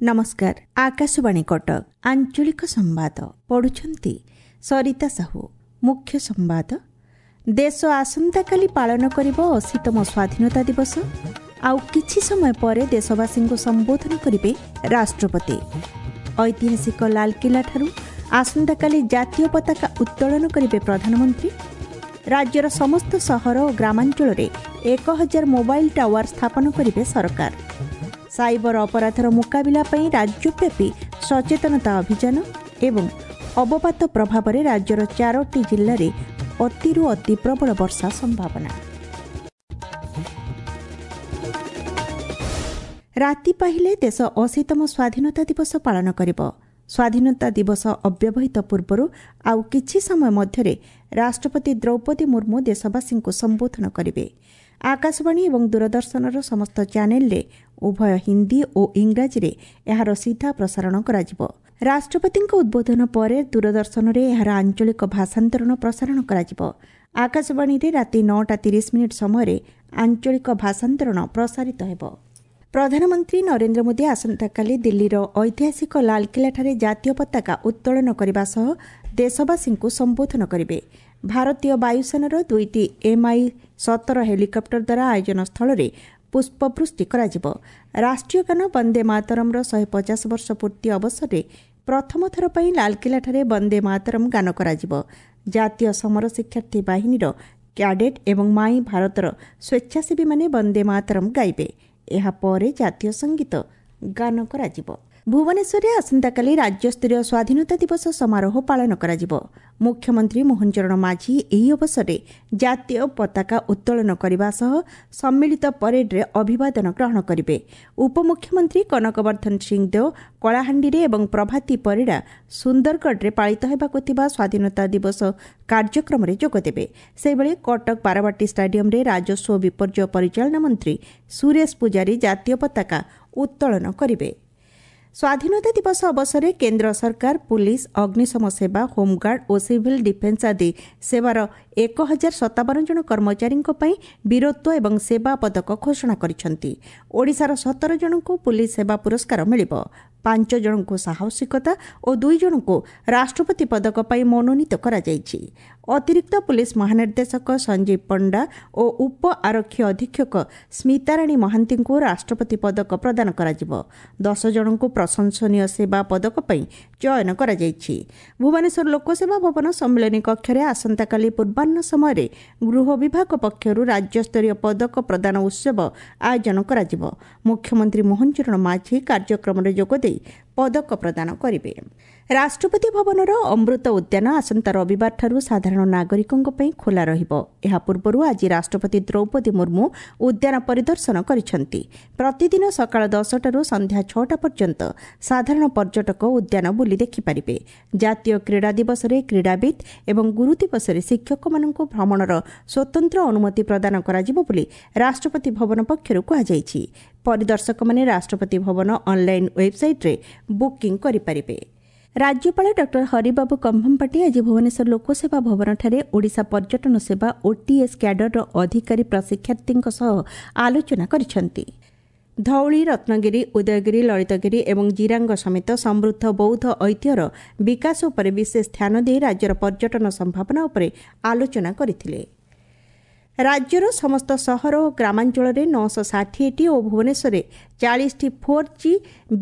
ନମସ୍କାର, ଆକାଶବାଣୀ କଟକ, ଆଞ୍ଚଳିକ ସମ୍ବାଦ ପଢୁଛନ୍ତି ସରିତା ସାହୁ। ମୁଖ୍ୟ ସମ୍ବାଦ। ଦେଶ ଆସନ୍ତାକାଲି ପାଳନ କରିବ 80ତମ ସ୍ୱାଧୀନତା ଦିବସ। ଆଉ କିଛି ସମୟ ପରେ ଦେଶବାସୀଙ୍କୁ ସମ୍ବୋଧନ କରିବେ ରାଷ୍ଟ୍ରପତି। ଐତିହାସିକ ଲାଲକିଲ୍ଲାଠାରୁ ଆସନ୍ତାକାଲି ଜାତୀୟ ପତାକା ଉତ୍ତୋଳନ କରିବେ ପ୍ରଧାନମନ୍ତ୍ରୀ। ରାଜ୍ୟର ସମସ୍ତ ସହର ଓ ଗ୍ରାମାଞ୍ଚଳରେ 1000 ମୋବାଇଲ ଟାୱାର ସ୍ଥାପନ କରିବେ ସରକାର। ସାଇବର ଅପରାଧର ମୁକାବିଲା ପାଇଁ ରାଜ୍ୟବ୍ୟାପୀ ସଚେତନତା ଅଭିଯାନ ଏବଂ ଅବପାତ ପ୍ରଭାବରେ ରାଜ୍ୟର 4ଟି ଜିଲ୍ଲାରେ ଅତିରୁ ଅତି ପ୍ରବଳ ବର୍ଷା ସମ୍ଭାବନା। ରାତି ପାହିଲେ ଦେଶ 80ତମ ସ୍ୱାଧୀନତା ଦିବସ ପାଳନ କରିବ। ସ୍ୱାଧୀନତା ଦିବସ ଅବ୍ୟବହିତ ପୂର୍ବରୁ ଆଉ କିଛି ସମୟ ମଧ୍ୟରେ ରାଷ୍ଟ୍ରପତି ଦ୍ରୌପଦୀ ମୁର୍ମୁ ଦେଶବାସୀଙ୍କୁ ସମ୍ବୋଧନ କରିବେ। ଆକାଶବାଣୀ ଏବଂ ଦୂରଦର୍ଶନର ସମସ୍ତ ଚ୍ୟାନେଲରେ ଉଭୟ ହିନ୍ଦୀ ଓ ଇଂରାଜୀରେ ଏହାର ସିଧା ପ୍ରସାରଣ କରାଯିବ। ରାଷ୍ଟ୍ରପତିଙ୍କ ଉଦ୍ବୋଧନ ପରେ ଦୂରଦର୍ଶନରେ ଏହାର ଆଞ୍ଚଳିକ ଭାଷାନ୍ତରଣ ପ୍ରସାରଣ କରାଯିବ। ଆକାଶବାଣୀରେ ରାତି 9ଟା 30 ମିନିଟ୍ ସମୟରେ ଆଞ୍ଚଳିକ ଭାଷାନ୍ତରଣ ପ୍ରସାରିତ ହେବ। ପ୍ରଧାନମନ୍ତ୍ରୀ ନରେନ୍ଦ୍ର ମୋଦି ଆସନ୍ତାକାଲି ଦିଲ୍ଲୀର ଐତିହାସିକ ଲାଲକିଲ୍ଲାଠାରେ ଜାତୀୟ ପତାକା ଉତ୍ତୋଳନ କରିବା ସହ ଦେଶବାସୀଙ୍କୁ ସମ୍ବୋଧନ କରିବେ। ଭାରତୀୟ ବାୟୁସେନାର ଦୁଇଟି ଏମ୍ଆଇ 17 ହେଲିକପ୍ଟର ଦ୍ୱାରା ଆୟୋଜନ ସ୍ଥଳରେ ପୁଷ୍ପବୃଷ୍ଟି କରାଯିବ। ରାଷ୍ଟ୍ରୀୟ ଗାନ ବନ୍ଦେ ମାତରମ୍ର 150 ବର୍ଷ ପୂର୍ତ୍ତି ଅବସରରେ ପ୍ରଥମ ଥର ପାଇଁ ଲାଲକିଲ୍ଲାଠାରେ ବନ୍ଦେ ମାତରମ୍ ଗାନ କରାଯିବ। ଜାତୀୟ ସମର ଶିକ୍ଷାର୍ଥୀ ବାହିନୀର କ୍ୟାଡେଟ୍ ଏବଂ ମାଇ ଭାରତର ସ୍ୱେଚ୍ଛାସେବୀମାନେ ବନ୍ଦେ ମାତରମ୍ ଗାଇବେ। ଏହାପରେ ଜାତୀୟ ସଙ୍ଗୀତ ଗାନ କରାଯିବ। ଭୁବନେଶ୍ୱରରେ ଆସନ୍ତାକାଲି ରାଜ୍ୟସ୍ତରୀୟ ସ୍ୱାଧୀନତା ଦିବସ ସମାରୋହ ପାଳନ କରାଯିବ। ମୁଖ୍ୟମନ୍ତ୍ରୀ ମୋହନ ଚରଣ ମାଝୀ ଏହି ଅବସରରେ ଜାତୀୟ ପତାକା ଉତ୍ତୋଳନ କରିବା ସହ ସମ୍ମିଳିତ ପରେଡରେ ଅଭିବାଦନ ଗ୍ରହଣ କରିବେ। ଉପମୁଖ୍ୟମନ୍ତ୍ରୀ କନକବର୍ଦ୍ଧନ ସିଂଦେଓ କଳାହାଣ୍ଡିରେ ଏବଂ ପ୍ରଭାତୀ ପରିଡ଼ା ସୁନ୍ଦରଗଡ଼ରେ ପାଳିତ ହେବାକୁ ଥିବା ସ୍ୱାଧୀନତା ଦିବସ କାର୍ଯ୍ୟକ୍ରମରେ ଯୋଗଦେବେ। ସେହିଭଳି କଟକ ବାରବାଟୀ ଷ୍ଟାଡିୟମରେ ରାଜସ୍ୱ ବିପର୍ଯ୍ୟୟ ପରିଚାଳନା ମନ୍ତ୍ରୀ ସୁରେଶ ପୂଜାରୀ ଜାତୀୟ ପତାକା ଉତ୍ତୋଳନ କରିବେ। ସ୍ୱାଧୀନତା ଦିବସ ଅବସରରେ କେନ୍ଦ୍ର ସରକାର ପୁଲିସ୍, ଅଗ୍ନିଶମ ସେବା, ହୋମଗାର୍ଡ ଓ ସିଭିଲ୍ ଡିଫେନ୍ସ ଆଦି ସେବାର 1057 ଜଣ କର୍ମଚାରୀଙ୍କ ପାଇଁ ବୀରତ୍ୱ ଏବଂ ସେବା ପଦକ ଘୋଷଣା କରିଛନ୍ତି। ଓଡ଼ିଶାର 17 ଜଣଙ୍କୁ ପୁଲିସ୍ ସେବା ପୁରସ୍କାର ମିଳିବ। 5 ଜଣଙ୍କୁ ସାହସିକତା ଓ 2 ଜଣଙ୍କୁ ରାଷ୍ଟ୍ରପତି ପଦକ ପାଇଁ ମନୋନୀତ କରାଯାଇଛି। ଅତିରିକ୍ତ ପୁଲିସ୍ ମହାନିର୍ଦ୍ଦେଶକ ସଞ୍ଜୀବ ପଣ୍ଡା ଓ ଉପ ଆରକ୍ଷୀ ଅଧୀକ୍ଷକ ସ୍ମିତାରାଣୀ ମହାନ୍ତିଙ୍କୁ ରାଷ୍ଟ୍ରପତି ପଦକ ପ୍ରଦାନ କରାଯିବ। 10 ଜଣଙ୍କୁ ପ୍ରଶଂସନୀୟ ସେବା ପଦକ ପାଇଁ ଚୟନ କରାଯାଇଛି। ଭୁବନେଶ୍ୱର ଲୋକସେବା ଭବନ ସମ୍ମିଳନୀ କକ୍ଷରେ ଆସନ୍ତାକାଲି ପୂର୍ବାହ୍ନ ସମୟରେ ଗୃହ ବିଭାଗ ପକ୍ଷରୁ ରାଜ୍ୟସ୍ତରୀୟ ପଦକ ପ୍ରଦାନ ଉତ୍ସବ ଆୟୋଜନ କରାଯିବ। ମୁଖ୍ୟମନ୍ତ୍ରୀ ମୋହନ ଚରଣ ମାଝୀ କାର୍ଯ୍ୟକ୍ରମରେ ଯୋଗଦେଇ ପଦକ ପ୍ରଦାନ କରିବେ। ରାଷ୍ଟ୍ରପତି ଭବନର ଅମୃତ ଉଦ୍ୟାନ ଆସନ୍ତା ରବିବାରଠାରୁ ସାଧାରଣ ନାଗରିକଙ୍କ ପାଇଁ ଖୋଲା ରହିବ। ଏହା ପୂର୍ବରୁ ଆଜି ରାଷ୍ଟ୍ରପତି ଦ୍ରୌପଦୀ ମୁର୍ମୁ ଉଦ୍ୟାନ ପରିଦର୍ଶନ କରିଛନ୍ତି। ପ୍ରତିଦିନ ସକାଳ 10ଟାରୁ ସନ୍ଧ୍ୟା 6ଟା ପର୍ଯ୍ୟନ୍ତ ସାଧାରଣ ପର୍ଯ୍ୟଟକ ଉଦ୍ୟାନ ବୁଲି ଦେଖିପାରିବେ। ଜାତୀୟ କ୍ରୀଡ଼ା ଦିବସରେ କ୍ରୀଡ଼ାବିତ୍ ଏବଂ ଗୁରୁ ଦିବସରେ ଶିକ୍ଷକମାନଙ୍କୁ ଭ୍ରମଣର ସ୍ୱତନ୍ତ୍ର ଅନୁମତି ପ୍ରଦାନ କରାଯିବ ବୋଲି ରାଷ୍ଟ୍ରପତି ଭବନ ପକ୍ଷରୁ କୁହାଯାଇଛି। ପରିଦର୍ଶକମାନେ ରାଷ୍ଟ୍ରପତି ଭବନ ଅନ୍ଲାଇନ୍ ୱେବ୍ସାଇଟ୍ରେ ବୁକିଂ କରିପାରିବେ। ରାଜ୍ୟପାଳ ଡକ୍ଟର ହରିବାବୁ କମ୍ଭମପାଟି ଆଜି ଭୁବନେଶ୍ୱର ଲୋକସେବା ଭବନଠାରେ ଓଡ଼ିଶା ପର୍ଯ୍ୟଟନ ସେବା ଓଟିଏସ୍ କ୍ୟାଡରର ଅଧିକାରୀ ପ୍ରଶିକ୍ଷାର୍ଥୀଙ୍କ ସହ ଆଲୋଚନା କରିଛନ୍ତି। ଧଉଳି, ରତ୍ନଗିରି, ଉଦୟଗିରି, ଲଳିତଗିରି ଏବଂ ଜିରାଙ୍ଗ ସମେତ ସମୃଦ୍ଧ ବୌଦ୍ଧ ଐତିହ୍ୟର ବିକାଶ ଉପରେ ବିଶେଷ ଧ୍ୟାନ ଦେଇ ରାଜ୍ୟର ପର୍ଯ୍ୟଟନ ସମ୍ଭାବନା ଉପରେ ଆଲୋଚନା କରିଥିଲେ। ରାଜ୍ୟର ସମସ୍ତ ସହର ଓ ଗ୍ରାମାଞ୍ଚଳରେ 960ଟି ଓ ଭୁବନେଶ୍ୱରରେ 40ଟି 4G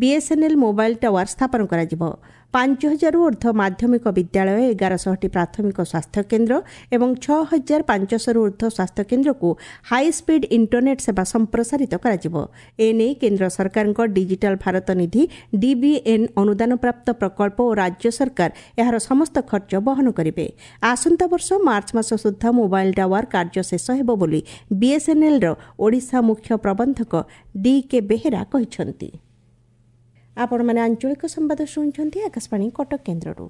ବିଏସ୍ଏନ୍ଏଲ୍ ମୋବାଇଲ ଟାୱାର ସ୍ଥାପନ କରାଯିବ। 5000ରୁ ଉର୍ଦ୍ଧ୍ୱ ମାଧ୍ୟମିକ ବିଦ୍ୟାଳୟ, 1100ଟି ପ୍ରାଥମିକ ସ୍ୱାସ୍ଥ୍ୟକେନ୍ଦ୍ର ଏବଂ 6500ରୁ ଉର୍ଦ୍ଧ୍ୱ ସ୍ୱାସ୍ଥ୍ୟକେନ୍ଦ୍ରକୁ ହାଇସ୍ପିଡ୍ ଇଣ୍ଟରନେଟ୍ ସେବା ସମ୍ପ୍ରସାରିତ କରାଯିବ। ଏନେଇ କେନ୍ଦ୍ର ସରକାରଙ୍କ ଡିଜିଟାଲ ଭାରତ ନିଧି ଡିବିଏନ୍ ଅନୁଦାନପ୍ରାପ୍ତ ପ୍ରକଳ୍ପ ଓ ରାଜ୍ୟ ସରକାର ଏହାର ସମସ୍ତ ଖର୍ଚ୍ଚ ବହନ କରିବେ। ଆସନ୍ତା ବର୍ଷ ମାର୍ଚ୍ଚ ମାସ ସୁଦ୍ଧା ମୋବାଇଲ ଟାୱାର କାର୍ଯ୍ୟ ଶେଷ ହେବ ବୋଲି ବିଏସ୍ଏନ୍ଏଲ୍ର ଓଡ଼ିଶା ମୁଖ୍ୟ ପ୍ରବନ୍ଧକ ଡି କେ ବେହେରା କହିଛନ୍ତି। ଆପଣମାନେ ଆଞ୍ଚଳିକ ସମ୍ବାଦ ଶୁଣୁଛନ୍ତି ଆକାଶବାଣୀ କଟକ କେନ୍ଦ୍ରରୁ।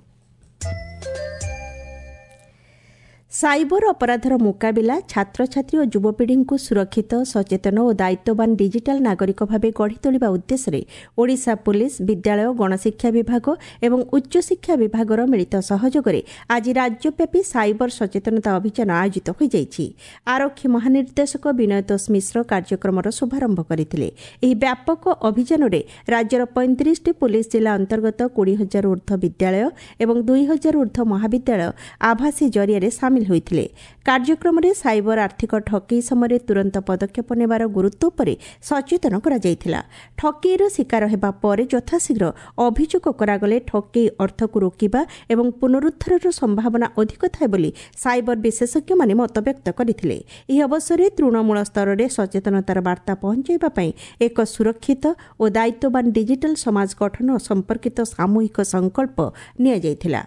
ସାଇବର ଅପରାଧର ମୁକାବିଲା, ଛାତ୍ରଛାତ୍ରୀ ଓ ଯୁବପିଢ଼ିଙ୍କୁ ସୁରକ୍ଷିତ, ସଚେତନ ଓ ଦାୟିତ୍ୱବାନ ଡିଜିଟାଲ ନାଗରିକ ଭାବେ ଗଢ଼ି ତୋଳିବା ଉଦ୍ଦେଶ୍ୟରେ ଓଡ଼ିଶା ପୁଲିସ୍, ବିଦ୍ୟାଳୟ ଗଣଶିକ୍ଷା ବିଭାଗ ଏବଂ ଉଚ୍ଚଶିକ୍ଷା ବିଭାଗର ମିଳିତ ସହଯୋଗରେ ଆଜି ରାଜ୍ୟବ୍ୟାପୀ ସାଇବର ସଚେତନତା ଅଭିଯାନ ଆୟୋଜିତ ହୋଇଯାଇଛି। ଆରକ୍ଷୀ ମହାନିର୍ଦ୍ଦେଶକ ବିନୟତୋଷ ମିଶ୍ର କାର୍ଯ୍ୟକ୍ରମର ଶୁଭାରମ୍ଭ କରିଥିଲେ। ଏହି ବ୍ୟାପକ ଅଭିଯାନରେ ରାଜ୍ୟର 35ଟି ପୁଲିସ୍ ଜିଲ୍ଲା ଅନ୍ତର୍ଗତ 20 ହଜାରରୁ ଉର୍ଦ୍ଧ୍ୱ ବିଦ୍ୟାଳୟ ଏବଂ 2 ହଜାରରୁ ଉର୍ଦ୍ଧ୍ୱ ମହାବିଦ୍ୟାଳୟ ଆଭାସୀ ଜରିଆରେ ସାମିଲ ହୋଇଥିଲେ। କାର୍ଯ୍ୟକ୍ରମରେ ସାଇବର ଆର୍ଥିକ ଠକେଇ ସମୟରେ ତୁରନ୍ତ ପଦକ୍ଷେପ ନେବାର ଗୁରୁତ୍ୱ ଉପରେ ସଚେତନ କରାଯାଇଥିଲା। ଠକେଇର ଶିକାର ହେବା ପରେ ଯଥାଶୀଘ୍ର ଅଭିଯୋଗ କରାଗଲେ ଠକେଇ ଅର୍ଥକୁ ରୋକିବା ଏବଂ ପୁନରୁଦ୍ଧାରର ସମ୍ଭାବନା ଅଧିକ ଥାଏ ବୋଲି ସାଇବର ବିଶେଷଜ୍ଞମାନେ ମତବ୍ୟକ୍ତ କରିଥିଲେ। ଏହି ଅବସରରେ ତୃଣମୂଳ ସ୍ତରରେ ସଚେତନତାର ବାର୍ତ୍ତା ପହଞ୍ଚାଇବା ପାଇଁ ଏକ ସୁରକ୍ଷିତ ଓ ଦାୟିତ୍ୱବାନ ଡିଜିଟାଲ ସମାଜ ଗଠନ ସମ୍ପର୍କିତ ସାମୂହିକ ସଂକଳ୍ପ ନିଆଯାଇଥିଲା।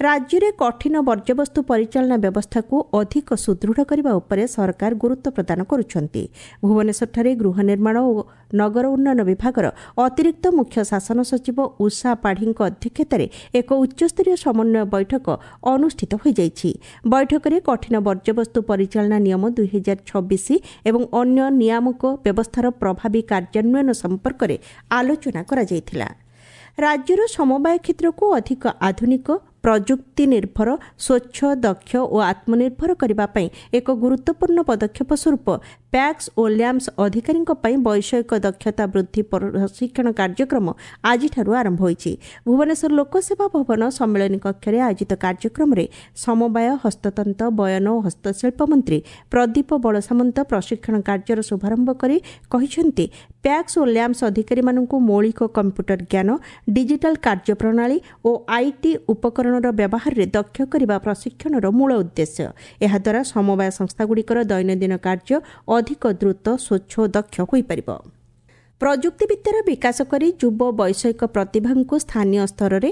ରାଜ୍ୟରେ କଠିନ ବର୍ଜ୍ୟବସ୍ତୁ ପରିଚାଳନା ବ୍ୟବସ୍ଥାକୁ ଅଧିକ ସୁଦୃଢ଼ କରିବା ଉପରେ ସରକାର ଗୁରୁତ୍ୱ ପ୍ରଦାନ କରୁଛନ୍ତି। ଭୁବନେଶ୍ୱରଠାରେ ଗୃହ ନିର୍ମାଣ ଓ ନଗର ଉନ୍ନୟନ ବିଭାଗର ଅତିରିକ୍ତ ମୁଖ୍ୟ ଶାସନ ସଚିବ ଉଷା ପାଢ଼ୀଙ୍କ ଅଧ୍ୟକ୍ଷତାରେ ଏକ ଉଚ୍ଚସ୍ତରୀୟ ସମନ୍ୱୟ ବୈଠକ ଅନୁଷ୍ଠିତ ହୋଇଯାଇଛି। ବୈଠକରେ କଠିନ ବର୍ଜ୍ୟବସ୍ତୁ ପରିଚାଳନା ନିୟମ 2026 ଏବଂ ଅନ୍ୟ ନିୟାମକ ବ୍ୟବସ୍ଥାର ପ୍ରଭାବୀ କାର୍ଯ୍ୟାନ୍ୱୟନ ସମ୍ପର୍କରେ ଆଲୋଚନା କରାଯାଇଥିଲା। ରାଜ୍ୟର ସମବାୟ କ୍ଷେତ୍ରକୁ ଅଧିକ ଆଧୁନିକ, ପ୍ରଯୁକ୍ତି ନିର୍ଭର, ସ୍ୱଚ୍ଛ, ଦକ୍ଷ ଓ ଆତ୍ମନିର୍ଭର କରିବା ପାଇଁ ଏକ ଗୁରୁତ୍ୱପୂର୍ଣ୍ଣ ପଦକ୍ଷେପ ସ୍ୱରୂପ ପ୍ୟାକ୍ସ ଓ ଲ୍ୟାମ୍ପସ ଅଧିକାରୀଙ୍କ ପାଇଁ ବୈଷୟିକ ଦକ୍ଷତା ବୃଦ୍ଧି ପ୍ରଶିକ୍ଷଣ କାର୍ଯ୍ୟକ୍ରମ ଆଜିଠାରୁ ଆରମ୍ଭ ହୋଇଛି। ଭୁବନେଶ୍ୱର ଲୋକସେବା ଭବନ ସମ୍ମିଳନୀ କକ୍ଷରେ ଆୟୋଜିତ କାର୍ଯ୍ୟକ୍ରମରେ ସମବାୟ, ହସ୍ତତନ୍ତ, ବୟନ ଓ ହସ୍ତଶିଳ୍ପ ମନ୍ତ୍ରୀ ପ୍ରଦୀପ ବଳସାମନ୍ତ ପ୍ରଶିକ୍ଷଣ କାର୍ଯ୍ୟର ଶୁଭାରମ୍ଭ କରି କହିଛନ୍ତି, ପ୍ୟାକ୍ସ ଓ ଲ୍ୟାମ୍ପସ ଅଧିକାରୀମାନଙ୍କୁ ମୌଳିକ କମ୍ପ୍ୟୁଟର ଜ୍ଞାନ, ଡିଜିଟାଲ କାର୍ଯ୍ୟପ୍ରଣାଳୀ ଓ IT ଉପକରଣର ବ୍ୟବହାରରେ ଦକ୍ଷ କରିବା ପ୍ରଶିକ୍ଷଣର ମୂଳ ଉଦ୍ଦେଶ୍ୟ। ଏହାଦ୍ୱାରା ସମବାୟ ସଂସ୍ଥାଗୁଡ଼ିକର ଦୈନନ୍ଦିନ କାର୍ଯ୍ୟ ଅଧିକ ଦ୍ରୁତ, ସ୍ୱଚ୍ଛ ଓ ଦକ୍ଷ ହୋଇପାରିବ। ପ୍ରଯୁକ୍ତିବିଦ୍ୟାର ବିକାଶ କରି ଯୁବ ବୈଷୟିକ ପ୍ରତିଭାଙ୍କୁ ସ୍ଥାନୀୟ ସ୍ତରରେ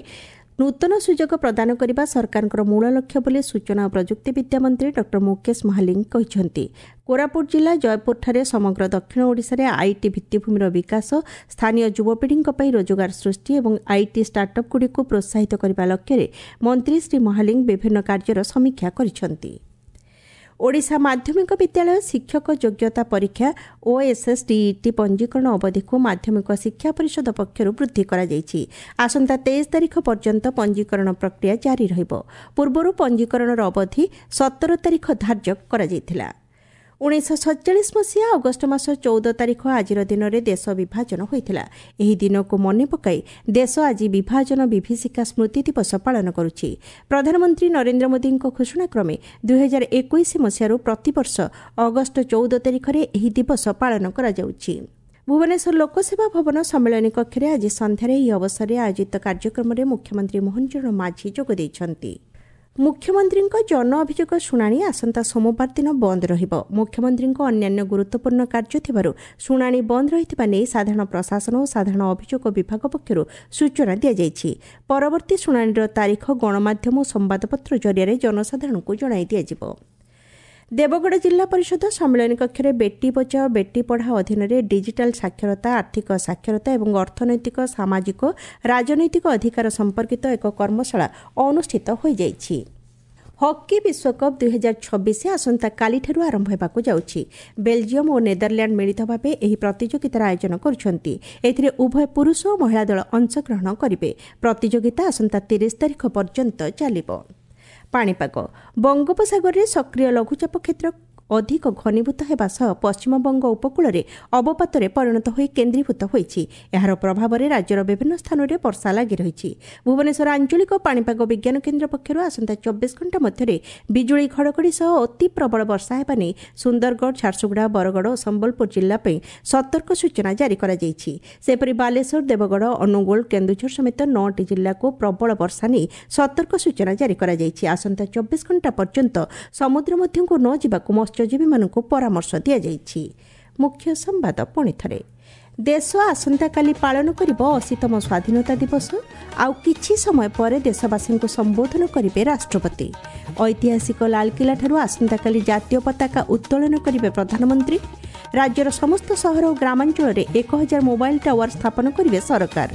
ନୂତନ ସୁଯୋଗ ପ୍ରଦାନ କରିବା ସରକାରଙ୍କର ମୂଳ ଲକ୍ଷ୍ୟ ବୋଲି ସୂଚନା ଓ ପ୍ରଯୁକ୍ତିବିଦ୍ୟା ମନ୍ତ୍ରୀ ଡକ୍ଟର ମୁକେଶ ମହାଲିଙ୍ଗ କହିଛନ୍ତି। କୋରାପୁଟ ଜିଲ୍ଲା ଜୟପୁରଠାରେ ସମଗ୍ର ଦକ୍ଷିଣ ଓଡ଼ିଶାରେ IT ଭିତ୍ତିଭୂମିର ବିକାଶ, ସ୍ଥାନୀୟ ଯୁବପିଢ଼ିଙ୍କ ପାଇଁ ରୋଜଗାର ସୃଷ୍ଟି ଏବଂ IT ଷ୍ଟାର୍ଟଅପ୍ଗୁଡ଼ିକୁ ପ୍ରୋତ୍ସାହିତ କରିବା ଲକ୍ଷ୍ୟରେ ମନ୍ତ୍ରୀ ଶ୍ରୀ ମହାଲିଙ୍ଗ ବିଭିନ୍ନ କାର୍ଯ୍ୟର ସମୀକ୍ଷା କରିଛନ୍ତି। ଓଡ଼ିଶା ମାଧ୍ୟମିକ ବିଦ୍ୟାଳୟ ଶିକ୍ଷକ ଯୋଗ୍ୟତା ପରୀକ୍ଷା ଓଏସ୍ଏସ୍ଡିଇଟି ପଞ୍ଜୀକରଣ ଅବଧିକୁ ମାଧ୍ୟମିକ ଶିକ୍ଷା ପରିଷଦ ପକ୍ଷରୁ ବୃଦ୍ଧି କରାଯାଇଛି। ଆସନ୍ତା 23 ତାରିଖ ପର୍ଯ୍ୟନ୍ତ ପଞ୍ଜୀକରଣ ପ୍ରକ୍ରିୟା ଜାରି ରହିବ। ପୂର୍ବରୁ ପଞ୍ଜୀକରଣର ଅବଧି 17 ତାରିଖ ଧାର୍ଯ୍ୟ କରାଯାଇଥିଲା। 1947 ମସିହା ଅଗଷ୍ଟ ମାସ 14 ତାରିଖ ଆଜିର ଦିନରେ ଦେଶ ବିଭାଜନ ହୋଇଥିଲା। ଏହି ଦିନକୁ ମନେ ପକାଇ ଦେଶ ଆଜି ବିଭାଜନ ବିଭୀଷିକା ସ୍ମୃତି ଦିବସ ପାଳନ କରୁଛି। ପ୍ରଧାନମନ୍ତ୍ରୀ ନରେନ୍ଦ୍ର ମୋଦିଙ୍କ ଘୋଷଣାକ୍ରମେ 2021 ମସିହାରୁ ପ୍ରତିବର୍ଷ ଅଗଷ୍ଟ 14 ତାରିଖରେ ଏହି ଦିବସ ପାଳନ କରାଯାଉଛି। ଭୁବନେଶ୍ୱର ଲୋକସେବା ଭବନ ସମ୍ମିଳନୀ କକ୍ଷରେ ଆଜି ସନ୍ଧ୍ୟାରେ ଏହି ଅବସରରେ ଆୟୋଜିତ କାର୍ଯ୍ୟକ୍ରମରେ ମୁଖ୍ୟମନ୍ତ୍ରୀ ମୋହନ ଚରଣ ମାଝୀ ଯୋଗ ଦେଇଛନ୍ତି। ମୁଖ୍ୟମନ୍ତ୍ରୀଙ୍କ ଜନ ଅଭିଯୋଗ ଶୁଣାଣି ଆସନ୍ତା ସୋମବାର ଦିନ ବନ୍ଦ ରହିବ। ମୁଖ୍ୟମନ୍ତ୍ରୀଙ୍କ ଅନ୍ୟାନ୍ୟ ଗୁରୁତ୍ୱପୂର୍ଣ୍ଣ କାର୍ଯ୍ୟ ଥିବାରୁ ଶୁଣାଣି ବନ୍ଦ ରହିଥିବା ନେଇ ସାଧାରଣ ପ୍ରଶାସନ ଓ ସାଧାରଣ ଅଭିଯୋଗ ବିଭାଗ ପକ୍ଷରୁ ସୂଚନା ଦିଆଯାଇଛି। ପରବର୍ତ୍ତୀ ଶୁଣାଣିର ତାରିଖ ଗଣମାଧ୍ୟମ ଓ ସମ୍ବାଦପତ୍ର ଜରିଆରେ ଜନସାଧାରଣଙ୍କୁ ଜଣାଇ ଦିଆଯିବ। ଦେବଗଡ଼ ଜିଲ୍ଲା ପରିଷଦ ସମ୍ମିଳନୀ କକ୍ଷରେ ବେଟି ବଚାଓ ବେଟି ପଢ଼ାଓ ଅଧୀନରେ ଡିଜିଟାଲ ସାକ୍ଷରତା, ଆର୍ଥିକ ସାକ୍ଷରତା ଏବଂ ଅର୍ଥନୈତିକ, ସାମାଜିକ, ରାଜନୈତିକ ଅଧିକାର ସମ୍ପର୍କିତ ଏକ କର୍ମଶାଳା ଅନୁଷ୍ଠିତ ହୋଇଯାଇଛି। ହକି ବିଶ୍ୱକପ୍ 2026 ଆସନ୍ତାକାଲିଠାରୁ ଆରମ୍ଭ ହେବାକୁ ଯାଉଛି। ବେଲଜିୟମ୍ ଓ ନେଦରଲ୍ୟାଣ୍ଡ ମିଳିତ ଭାବେ ଏହି ପ୍ରତିଯୋଗିତାର ଆୟୋଜନ କରୁଛନ୍ତି। ଏଥିରେ ଉଭୟ ପୁରୁଷ ଓ ମହିଳା ଦଳ ଅଂଶଗ୍ରହଣ କରିବେ। ପ୍ରତିଯୋଗିତା ଆସନ୍ତା 30 ତାରିଖ ପର୍ଯ୍ୟନ୍ତ ଚାଲିବ। ପାଣିପାଗ, ବଙ୍ଗୋପସାଗରରେ ସକ୍ରିୟ ଲଘୁଚାପ କ୍ଷେତ୍ର ଅଧିକ ଘନୀଭୂତ ହେବା ସହ ପଶ୍ଚିମବଙ୍ଗ ଉପକୂଳରେ ଅବପାତରେ ପରିଣତ ହୋଇ କେନ୍ଦ୍ରୀଭୂତ ହୋଇଛି। ଏହାର ପ୍ରଭାବରେ ରାଜ୍ୟର ବିଭିନ୍ନ ସ୍ଥାନରେ ବର୍ଷା ଲାଗି ରହିଛି। ଭୁବନେଶ୍ୱର ଆଞ୍ଚଳିକ ପାଣିପାଗ ବିଜ୍ଞାନ କେନ୍ଦ୍ର ପକ୍ଷରୁ ଆସନ୍ତା 24 ଘଣ୍ଟା ମଧ୍ୟରେ ବିଜୁଳି ଘଡ଼ଘଡ଼ି ସହ ଅତି ପ୍ରବଳ ବର୍ଷା ହେବା ନେଇ ସୁନ୍ଦରଗଡ଼, ଝାରସୁଗୁଡ଼ା, ବରଗଡ଼ ଓ ସମ୍ବଲପୁର ଜିଲ୍ଲା ପାଇଁ ସତର୍କ ସୂଚନା ଜାରି କରାଯାଇଛି। ସେହିପରି ବାଲେଶ୍ୱର, ଦେବଗଡ଼, ଅନୁଗୁଳ, କେନ୍ଦୁଝର ସମେତ 9ଟି ଜିଲ୍ଲାକୁ ପ୍ରବଳ ବର୍ଷା ନେଇ ସତର୍କ ସୂଚନା ଜାରି କରାଯାଇଛି। ଆସନ୍ତା 24 ଘଣ୍ଟା ପର୍ଯ୍ୟନ୍ତ ସମୁଦ୍ର ମଧ୍ୟକୁ ନ ଯିବାକୁ ମତ୍ସ୍ୟଜୀବୀମାନଙ୍କୁ ପରାମର୍ଶ ଦିଆଯାଇଛି। ମୁଖ୍ୟ ସମ୍ବାଦ ପୁଣି ଥରେ, ଦେଶ ଆସନ୍ତାକାଲି ପାଳନ କରିବ 80ତମ ସ୍ୱାଧୀନତା ଦିବସ। ଆଉ କିଛି ସମୟ ପରେ ଦେଶବାସୀଙ୍କୁ ସମ୍ବୋଧନ କରିବେ ରାଷ୍ଟ୍ରପତି। ଐତିହାସିକ ଲାଲକିଲ୍ଲାଠାରୁ ଆସନ୍ତାକାଲି ଜାତୀୟ ପତାକା ଉତ୍ତୋଳନ କରିବେ ପ୍ରଧାନମନ୍ତ୍ରୀ। ରାଜ୍ୟର ସମସ୍ତ ସହର ଓ ଗ୍ରାମାଞ୍ଚଳରେ 1000 ମୋବାଇଲ ଟାୱାର ସ୍ଥାପନ କରିବେ ସରକାର।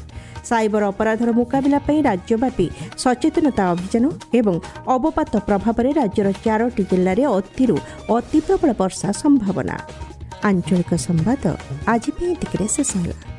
ସାଇବର ଅପରାଧର ମୁକାବିଲା ପାଇଁ ରାଜ୍ୟବ୍ୟାପୀ ସଚେତନତା ଅଭିଯାନ ଏବଂ ଅବପାତ ପ୍ରଭାବରେ ରାଜ୍ୟର 4ଟି ଜିଲ୍ଲାରେ ଅତିରୁ ଅତି ପ୍ରବଳ ବର୍ଷା ସମ୍ଭାବନା। ଆଞ୍ଚଳିକ ସମ୍ବାଦ ଆଜି ପାଇଁ ଏତିକିରେ ଶେଷ ହେଲା।